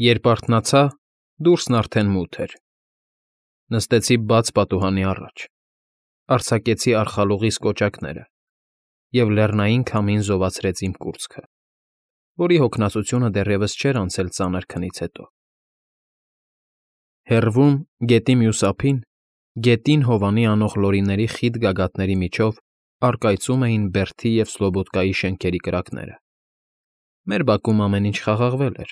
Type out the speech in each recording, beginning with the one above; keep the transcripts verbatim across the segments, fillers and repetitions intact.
Երբ արթնացա, դուրսն արդեն մութ էր։ Նստեցի բաց պատուհանի առաջ, արձակեցի արխալուղիս կոճակները և լեռնային քամին զովացրեց իմ կուրծքը, որի հոգնածությունը դեռևս չէր անցել ծանր քնից հետո։ Հեռվում, գետի մյուս ափին, գետին հովանի անող լորիների խիտ գագաթների միջով առկայծում էին Բերթի և Սլոբոդկայի շենքերի կրակները։ Մեր բակում ամեն ինչ խաղաղվել էր,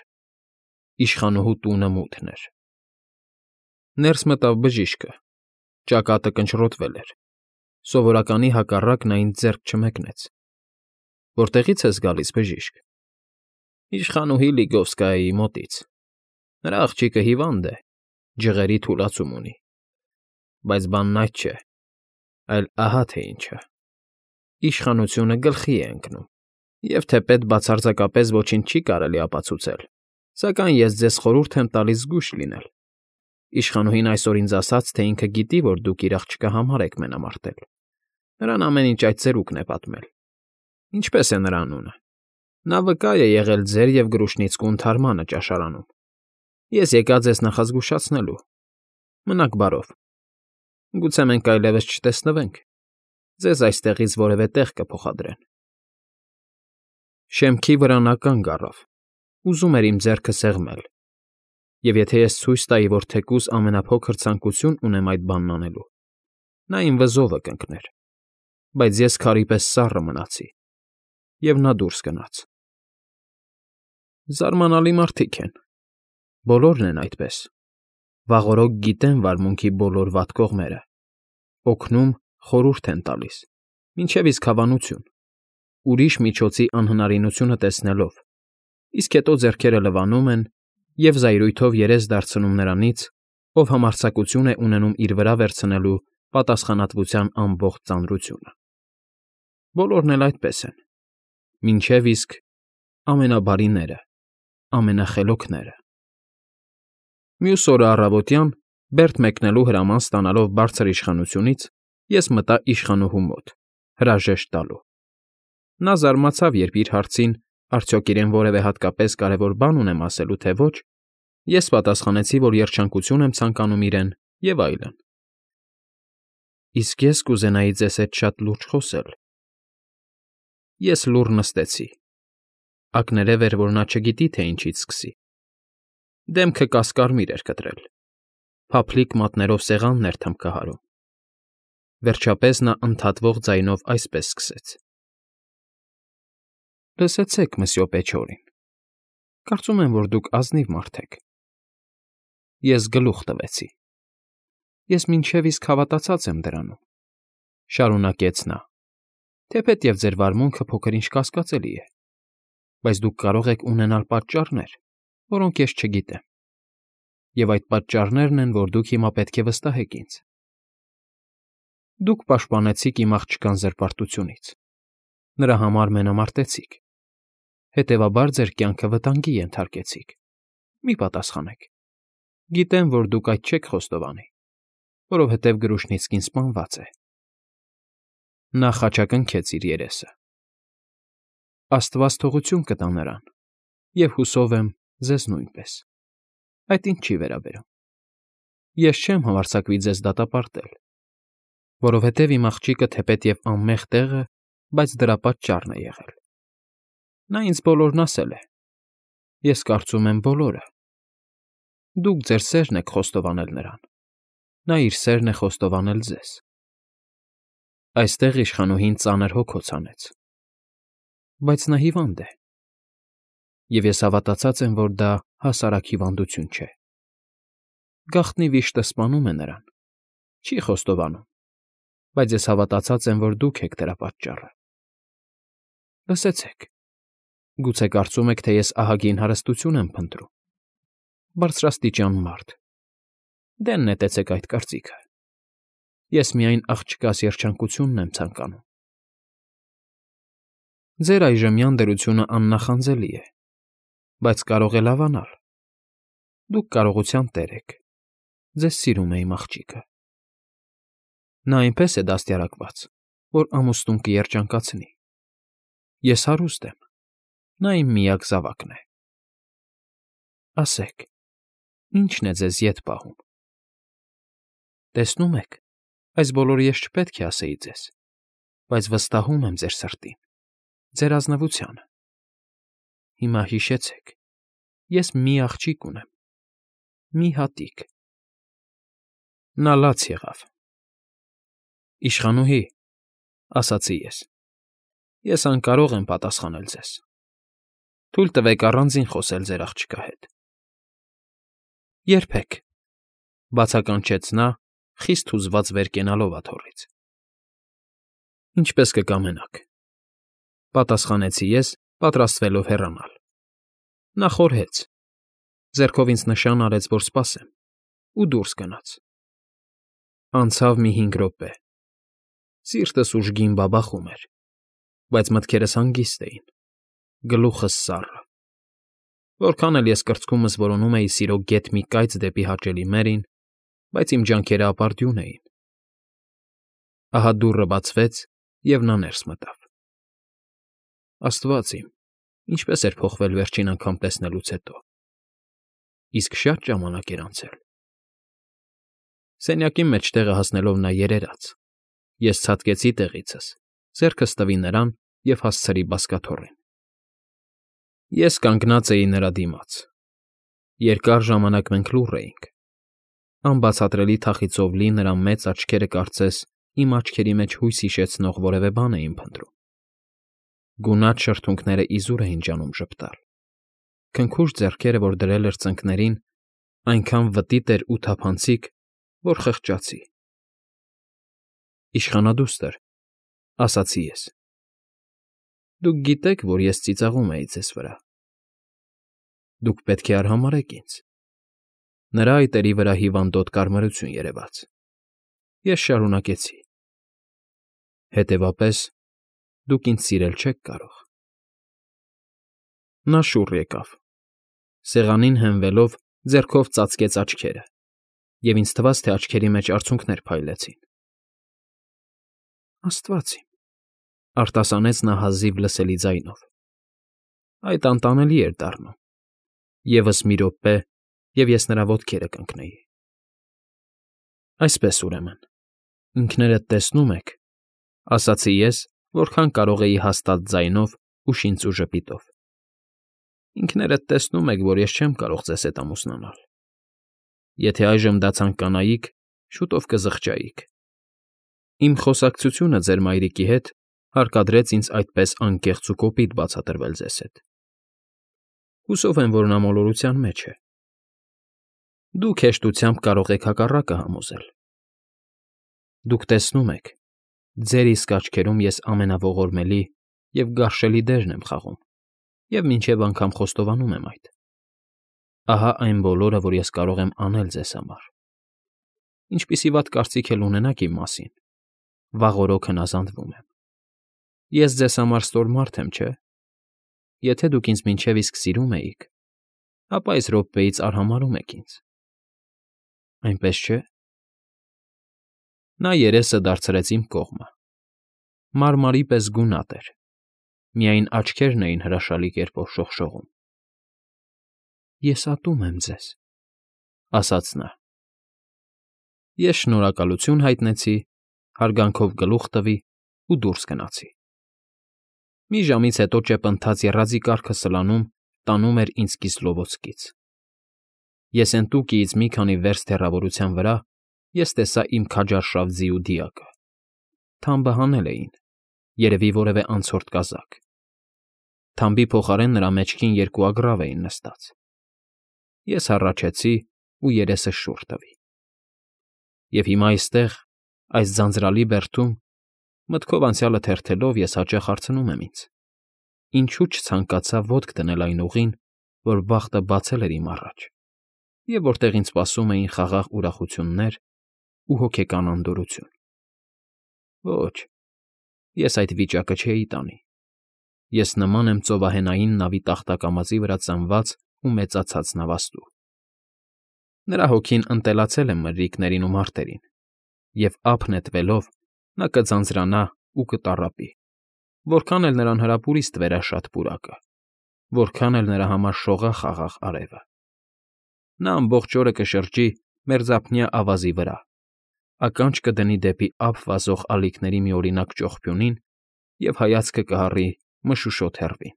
իշխանուհու տունը մութն էր։ Ներս մտավ բժիշկը, ճակատը կնճռոտվել էր, սովորականի հակառակ նա ինձ ձեռք չմեկնեց։ ֊ Որտեղի՞ց ես գալիս, բժիշկ։ ֊ Իշխանուհի Լիգովսկայայի մոտից։ Նրա աղջիկը հիվանդ է, ջղերի թուլացում ունի, բայց բանն այդ չէ, այլ ահա թե ինչը. իշխանությունը գլխի է ընկնում, և թեպետ բացարձակապես ոչինչ չի կարելի ապացուցել, սակայն ես ձեզ խորհուրդ եմ տալիս զգույշ լինել։ Իշխանուհին այսօր ինձ ասաց, թե ինքը գիտի, որ դուք իր աղջկա համար եք մենամարտել։ Նրան ամեն ինչ այդ ծերուկն է պատմել։ Ինչպե՞ս է նրա անունը։ Նա վկա է եղել ձեր և Գրուշնիցկու ընդհարմանը ճաշարանում։ Ես եկա ձեզ նախազգուշացնելու։ Մնաք բարով։ Գուցե մենք այլևս չտեսնվենք, ձեզ այստեղից որևէ տեղ կփոխադրեն։ Շեմքի վրա նա կանգ առավ, ուզում էր իմ ձեռքը սեղմել, և եթե ես ցույց տայի, որ թեկուզ ամենափոքր ցանկություն ունեմ այդ բանն անելու, նա իմ վզովը կընկներ, բայց ես քարի պես սառը մնացի, և նա դուրս գնաց։ Զարմանալի մարդիկ են, բոլորն են այդպես, վաղօրոք գիտեն վարմունքի բոլոր վատ կողմերը, օգնում, խորհուրդ են տալիս, մինչև իսկ հավանություն, ուրիշ միջոցի անհնարինությունը տեսնելով, իսկ հետո ձեռքերը լվանում են և զայրույթով երես դարձնում նրանից, ով համարձակություն է ունենում իր վրա վերցնելու պատասխանատվության ամբողջ ծանրությունը։ Բոլորն էլ այդպես են, մինչև իսկ ամենաբարիները, ամենախելոքները։ Մյուս օրը առավոտյան, Բերտ մեկնելու հրաման ստանալով բարձր իշխանությունից, ես մտա իշխանուհու մոտ, հրաժեշտ տալու։ Նա զարմացավ, երբ իր հարցին արդյոք իրեն որևէ հատկապես կարևոր բան ունեմ ասելու, թե ոչ, ես պատասխանեցի, որ երջանկություն եմ ցանկանում իրեն և այլն։ Իսկ ես կուզենայի ձեզ հետ շատ լուրջ խոսել։ Ես լուռ նստեցի։ Ակներև էր, որ նա չգիտի, թե ինչից սկսի։ Դեմքը կասկարմիր էր կտրել, փափլիկ մատներով սեղանն էր թմբկահարում։ Վերջապես նա ընդհատվող ձայնով այսպես սկսեց. Լսեցեք, մսյո Պեչորին, կարծում եմ, որ դուք ազնիվ մարդ եք։ Ես գլուխ տվեցի։ Ես մինչև իսկ հավատացած եմ դրանում, շարունակեց նա, թեպետև ձեր վարմունքը փոքր-ինչ կասկածելի է, բայց դուք կարող եք ունենալ պատճառներ, որոնք ես չգիտեմ, և այդ պատճառներն են, որ դուք հիմա պետք է վստահեք ինձ։ Դուք պաշտպանեցիք իմ աղջկան զրպարտությունից, նրա համար մենամարտեցիք, հետևաբար ձեր կյանքը վտանգի ենթարկեցիք։ Մի պատասխանեք։ Գիտեմ, որ դուք այդ չեք խոստովանի, որովհետև Գրուշնիցկին սպանված է։ Նա խաչակնքեց իր երեսը։ Աստված թողություն կտա նրան, և հուսով եմ ձեզ նույնպես։ Այդ ինձ չի վերաբերում։ Ես չեմ համարձակվի ձեզ դատապարտել, որովհետև իմ աղջիկը թեպետև անմեղ տեղ է, բայց դրա պատճառն է եղել։ Նա ինձ բոլորն ասել է։ Ես կարծում եմ բոլորը։ Դուք ձեր սերն եք խոստովանել նրան, նա իր սերն է խոստովանել ձեզ։ Այստեղ իշխանուհին ծանր հոգոց հանեց։ Բայց նա հիվանդ է։ Եվ ես հավատացած եմ, որ դա հասարակ հիվանդություն չէ։ Գաղտնի վիշտը սպանում է նրան, չի խոստովանում, բայց ես հավատացած եմ, որ դուք եք դրա պատճառը։ Լսեցեք, գուցե կարծում եք, թե ես ահագին հարստություն եմ փնտրում։ Բարձրաստիճան մարդ։ Դե նետեցեք այդ կարծիքը։ Ես միայն աղջկաս երջանկությունն եմ ցանկանում։ Ձեր այժմյան դրությունը աննախանձելի է, բայց կարող է լավանալ։ Դուք կարողության տեր եք։ Ձեզ սիրում է իմ աղջիկը։ Նա այնպես է դաստիարակված, որ ամուսնուն կերջանկացնի։ Ես հարուստ եմ, նա իմ միակ զավակն է։ Ասեք, ի՞նչն է ձեզ ետ պահում։ Տեսնում եք, այս բոլորը ես չպետք է ասեի ձեզ, բայց վստահում եմ ձեր սրտին, ձեր ազնվությանը։ Հիմա հիշեցեք, ես մի աղջիկ ունեմ, մի հատիկ։ Նա լաց եղավ։ Իշխանուհի, ասացի ես, ես անկարող եմ պատասխանել ձեզ։ Թույլ տվեք առանձին խոսել ձեր աղջկա հետ։ Երբեք, բացականչեց նա, խիստ հուզված վեր կենալով աթոռից։ Ինչպես կկամենաք, պատասխանեցի ես, պատրաստվելով հեռանալ։ Նա խորհեց, ձեռքով ինձ նշան արեց, որ սպասեմ, ու դուրս գնաց։ Անցավ մի հինգ րոպե։ Սիրտս ուժգին բաբախում էր, բայց մտքերս հանգիստ էին, գլուխս սառը։ Որքան էլ ես կրծքումս որոնում էի սիրո գեթ մի կայծ դեպի հաճելի Մերին, բայց իմ ջանքերը ապարդյուն էին։ Ահա դուռը բացվեց, և նա ներս մտավ։ Աստված իմ, ինչպես էր փոխվել վերջին անգամ տեսնելուց հետո։ Իսկ շատ ժամանակ էր անցել։ Սենյակի մեջտեղը հասնելով նա երերաց։ Ես ցատկեցի տեղիցս, ձեռքս տվի նրան և հասցրի բազկաթոռին։ Ես կանգնած էի նրա դիմաց։ Երկար ժամանակ մենք լուռ էինք։ Անբացատրելի թախիծով լի նրա մեծ աչքերը կարծես իմ աչքերի մեջ հույս հիշեցնող որևէ բան էին փնտրում։ Գունատ շրթունքները իզուր էին ջանում ժպտալ։ Քնքուշ ձեռքերը, որ դրել էր ծնկներին, այնքան վտիտ էր ու թափանցիկ, որ խղճացի։ Իշխանադուստր, ասացի ես, դուք գիտեք, որ ես ծիծաղում էի ձեզ վրա։ Դուք պետք է արհամարհեք ինձ։ Նրա այտերի վրա հիվանդոտ կարմրություն երևաց։ Ես շարունակեցի. Հետևաբար, դուք ինձ սիրել չեք կարող։ Նա շուռ եկավ, սեղանին հենվելով, ձեռքով ծածկեց աչքերը, և ինձ թվաց, թե աչքերի մեջ արցունքներ փայլեցին։ Աստված իմ, արտասանեց նա հազիվ լսելի ձայնով։ Այդ անտանելի էր դառնում։ Եվս մի րոպե, և ես նրա ոտքերը կընկնեի։ Այսպես, ուրեմն, ինքներդ տեսնում եք, ասացի ես, որքան կարող էի հաստատ ձայնով ու շինծու ժպիտով։ Ինքներդ տեսնում եք, որ ես չեմ կարող ձեզ հետ ամուսնանալ։ Եթե այժմ դա ցանկանայիք, շուտով կզղջայիք։ Իմ խոսակցությունը ձեր մայրիկի հետ հարկադրեց ինձ այդպես անկեղծ ու կոպիտ բացատրվել ձեզ հետ։ Հուսով եմ, որ նա մոլորության մեջ է։ Դուք հեշտությամբ կարող եք հակառակը համոզել։ Դուք տեսնում եք, ձեր իսկ աչքերում ես ամենաողորմելի և գարշելի դերն եմ խաղում և մինչև անգամ խոստովանում եմ այդ։ Ահա այն բոլորը, որ ես կարող եմ անել ձեզ համար։ Ինչպիսի վատ կարծիք էլ ունենաք իմ մասին, վաղ օրոք հնազանդվում եմ։ Ես ձեզ համար ստոր մարդ եմ, չէ՞։ Եթե դուք ինձ մինչև իսկ սիրում էիք, ապա այս րոպեից արհամարհում եք ինձ։ Այնպես չէ՞։ Նա երեսը դարձրեց իմ կողմը։ Մարմարի պես գունատ էր, միայն աչքերն էին հրաշալի կերպով շողշողում։ Ես ատում եմ ձեզ, ասաց նա։ Ես շնորհակալություն հայտնեցի, հարգանքով գլուխ տվի ու դուրս գնացի։ Մի ժամից հետո ճեպընթաց եռաձի կառքը սլանում տանում էր ինձ Կիսլովոդսկից։ Եսենտուկիից մի քանի վերստ հեռավորության վրա ես տեսա իմ քաջարշավ ձիու դիակը։ Թամբը հանել էին, երևի որևէ անցորդ կազակ։ Թամբի փոխարեն նրա մեջքին երկու ագռավ էին նստած։ Ես հառաչեցի ու երեսը շուռ տվի։ Եվ հիմա այստեղ, այս ձանձրալի բերդում, մտքով անցյալը թերթելով, ես հաճախ հարցնում եմ ինձ. ինչու չցանկացա ոտք դնել այն ուղին, որ բախտը բացել էր իմ առաջ, և որտեղ ինձ սպասում էին խաղաղ ուրախություններ ու հոգեկան անդորրություն։ Ոչ, ես այդ վիճակը չէի տանի։ Ես նման եմ ծովահենային նավի տախտակամածի վրա ծնված ու մեծացած նավաստու։ Նրա հոգին ընտելացել է մրրիկներին ու մարտերին, և ափ նետվելով նա կձանձրանա ու կտառապի, որքան էլ նրան հրապուրի ստվերաշատ պուրակը, որքան էլ նրա համար շողա խաղաղ արևը։ Նա ամբողջ օրը կշրջի մերձափնյա ավազի վրա, ականջ կդնի դեպի ափ վազող ալիքների մի օրինակ ճողփյունին և հայացքը կհառի մշուշոտ հեռվին,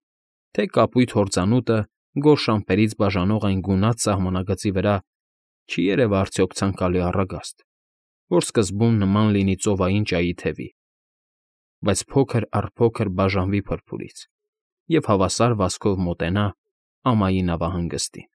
թե կապույտ հորձանուտը գորշ ամպերից բաժանող այն գունատ սահմանագծի վրա չի երևա արդյոք ցանկալի առագաստ, որ սկզբում նման լինի ծովային ճայի թևի, բայց փոքր առ փոքր բաժանվի փրփուրից և հավասար վազքով մոտենա ամայի նավահանգստին։